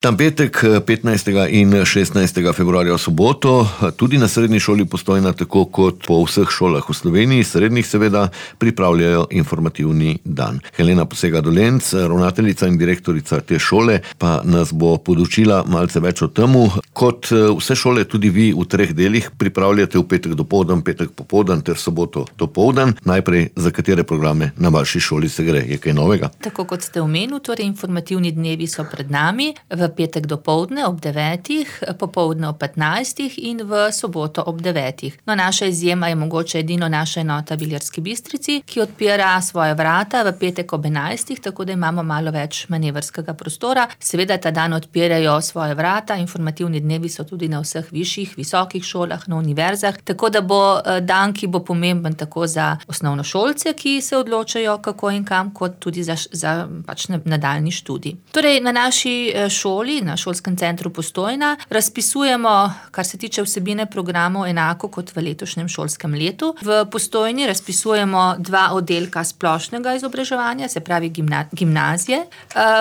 Tam petek, 15. in 16. februarja v soboto, tudi na srednji šoli Postojna, tako kot po vseh šolah v Sloveniji, srednjih seveda, pripravljajo informativni dan. Helena Posega-Dolenc, ravnateljica in direktorica te šole, pa nas bo podučila malce več o temu. Kot vse šole, tudi vi v 3 delih pripravljate v petek dopoldan, petek popoldan ter soboto dopoldan. Najprej, za katere programe na vaši šoli se gre? Je kaj novega? Tako kot ste omenili, torej informativni dnevi so pred nami. V petek dopoldne ob 9, popoldne ob 15 in v soboto ob 9. No, naša izjema je mogoče edino naša enota v Ilirski Bistrici, ki odpira svoje vrata v petek ob 11, tako da imamo malo več manevrskega prostora. Seveda ta dan odpirajo svoje vrata, informativni dnevi so tudi na vseh višjih, visokih šolah, na univerzah, tako da bo dan, ki bo pomemben tako za osnovnošolce, ki se odločajo kako in kam, kot tudi za pač nadaljnji študij. Torej, na naši šoli, na šolskem centru Postojna, razpisujemo, kar se tiče vsebine programov, enako kot v letošnjem šolskem letu. V Postojni razpisujemo 2 oddelka splošnega izobraževanja, se pravi gimnazije.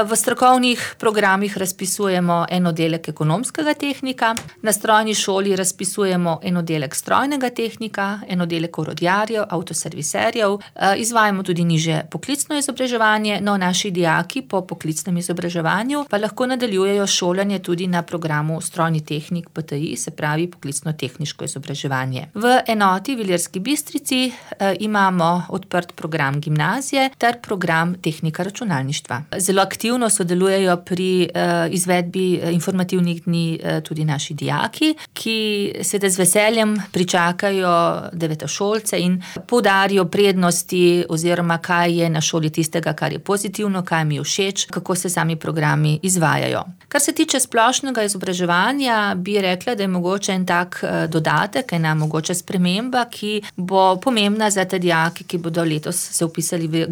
V strokovnih programih razpisujemo en oddelek ekonomskega tehnika, na strojni šoli razpisujemo en oddelek strojnega tehnika, en oddelek orodjarjev, avtoserviserjev, izvajamo tudi nižje poklicno izobraževanje, no naši dijaki po poklicnem izobraževanju pa lahko nadaljujejo šolanje tudi na programu strojni tehnik PTI, se pravi poklicno-tehniško izobraževanje. V enoti v Ilirski Bistrici imamo odprt program gimnazije ter program tehnika računalništva. Zelo aktivno sodelujejo pri izvedbi informativnih dni tudi naši dijaki, ki seveda z veseljem pričakajo devetošolce in poudarijo prednosti oziroma kaj je na šoli tistega, kar je pozitivno, kaj mi je všeč, kako se sami programi izvajajo. Kar se tiče splošnega izobraževanja, bi rekla, da je mogoče en tak dodatek, ena mogoče sprememba, ki bo pomembna za te dijake, ki bodo letos se vpisali v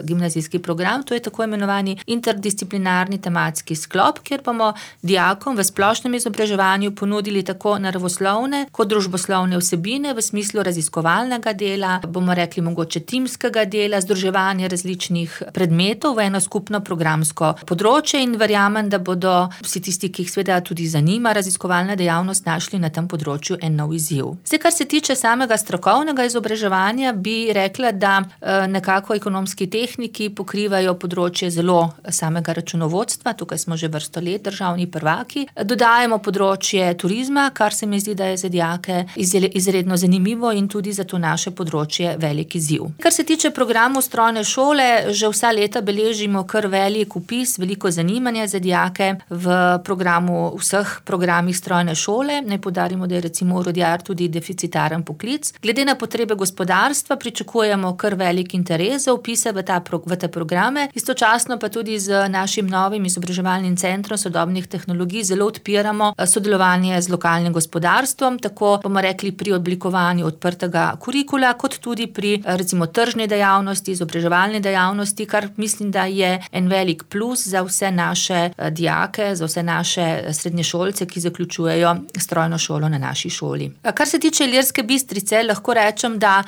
gimnazijski program. To je tako imenovani interdisciplinarni tematski sklop, kjer bomo dijakom v splošnem izobraževanju ponudili tako naravoslovne kot družboslovne vsebine v smislu raziskovalnega dela, bomo rekli mogoče timskega dela, združevanja različnih predmetov v eno skupno programsko področje in verjamem, da bodo vsi tisti, ki jih seveda tudi zanima raziskovalna dejavnost, našli na tem področju en nov izziv. Zdaj, kar se tiče samega strokovnega izobraževanja, bi rekla, da nekako ekonomski tehniki pokrivajo področje zelo samega računovodstva, tukaj smo že vrsto let državni prvaki. Dodajamo področje turizma, kar se mi zdi, da je za dijake izredno zanimivo in tudi za to naše področje velik izziv. Kar se tiče programov strojne šole, že vsa leta beležimo kar velik vpis, veliko zanimanja za dijake v programu, vseh programih strojne šole. Naj poudarimo, da je recimo orodjar tudi deficitaren poklic. Glede na potrebe gospodarstva pričakujemo kar velik interes za vpise v te programe. Istočasno pa tudi z našim novim izobraževalnim centrom sodobnih tehnologij zelo odpiramo sodelovanje z lokalnim gospodarstvom, tako bomo rekli pri oblikovanju odprtega kurikula, kot tudi pri recimo tržni dejavnosti, izobraževalni dejavnosti, kar mislim, da je en velik plus za vse naše dijake, za vse naše srednješolce, ki zaključujejo strojno šolo na naši šoli. Kar se tiče Ilirske Bistrice, lahko rečem, da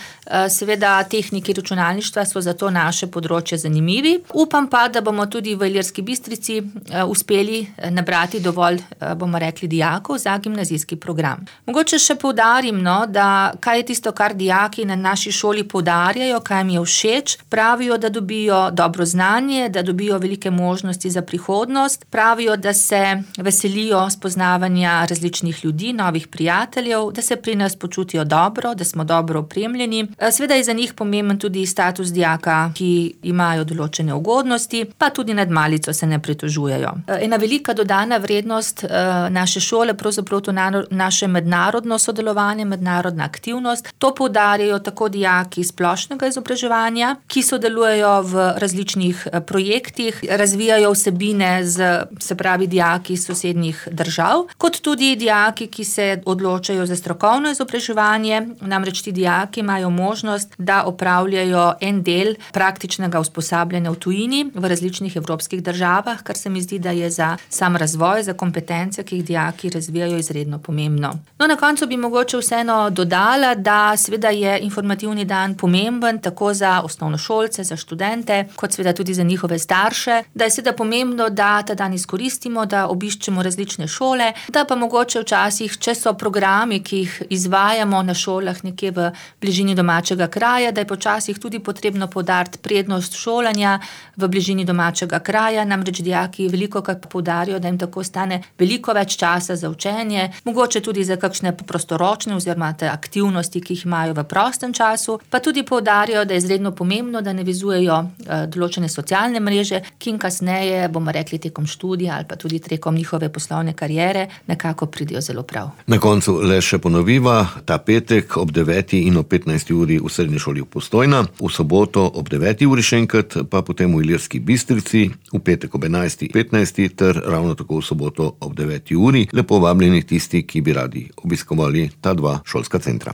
seveda tehniki računalništva so za to naše področje zanimivi. Upam pa, da bomo tudi v Ilirski Bistrici uspeli nabrati dovolj, bomo rekli, dijakov za gimnazijski program. Mogoče še poudarim, da kaj je tisto, kar dijaki na naši šoli poudarjajo, kaj mi je všeč. Pravijo, da dobijo dobro znanje, da dobijo velike možnosti za prihodnost. Pravijo, da se veselijo spoznavanja različnih ljudi, novih prijateljev, da se pri nas počutijo dobro, da smo dobro opremljeni. Seveda je za njih pomemben tudi status dijaka, ki imajo določene ugodnosti, pa tudi nad malico se ne pritožujejo. Ena velika dodana vrednost naše šole, pravzaprav to naše mednarodno sodelovanje, mednarodna aktivnost. To poudarjajo tako dijaki splošnega izobraževanja, ki sodelujejo v različnih projektih, razvijajo vsebine se pravi dijaki iz sosednjih držav, kot tudi dijaki, ki se odločajo za strokovno izobraževanje. Namreč ti dijaki imajo možnost, da opravljajo en del praktičnega usposabljanja v tujini v različnih evropskih državah, kar se mi zdi, da je za sam razvoj, za kompetence, ki jih dijaki razvijajo, izredno pomembno. No, na koncu bi mogoče vseeno dodala, da seveda je informativni dan pomemben tako za osnovnošolce, za študente, kot seveda tudi za njihove starše, da je seveda pomembno, da da ta dan izkoristimo, da obiščemo različne šole, da pa mogoče včasih, če so programi, ki jih izvajamo na šolah nekje v bližini domačega kraja, da je počasih tudi potrebno poudariti prednost šolanja v bližini domačega kraja, namreč dijaki velikokrat poudarijo, da jim tako stane veliko več časa za učenje, mogoče tudi za kakšne prostoročne oziroma te aktivnosti, ki jih imajo v prostem času, pa tudi poudarijo, da je izredno pomembno, da navezujejo določene socialne mreže, ki jim kasneje, bomo rekli, tekom študija ali pa tudi tekom njihove poslovne kariere nekako pridejo zelo prav. Na koncu le še ponoviva, ta petek ob 9. in ob 15. uri v srednji šoli v Postojna, v soboto ob 9. uri še enkrat, pa potem v Ilirski Bistrici, v petek ob 11.15. ter ravno tako v soboto ob 9. uri. Lepo vabljeni tisti, ki bi radi obiskovali ta dva šolska centra.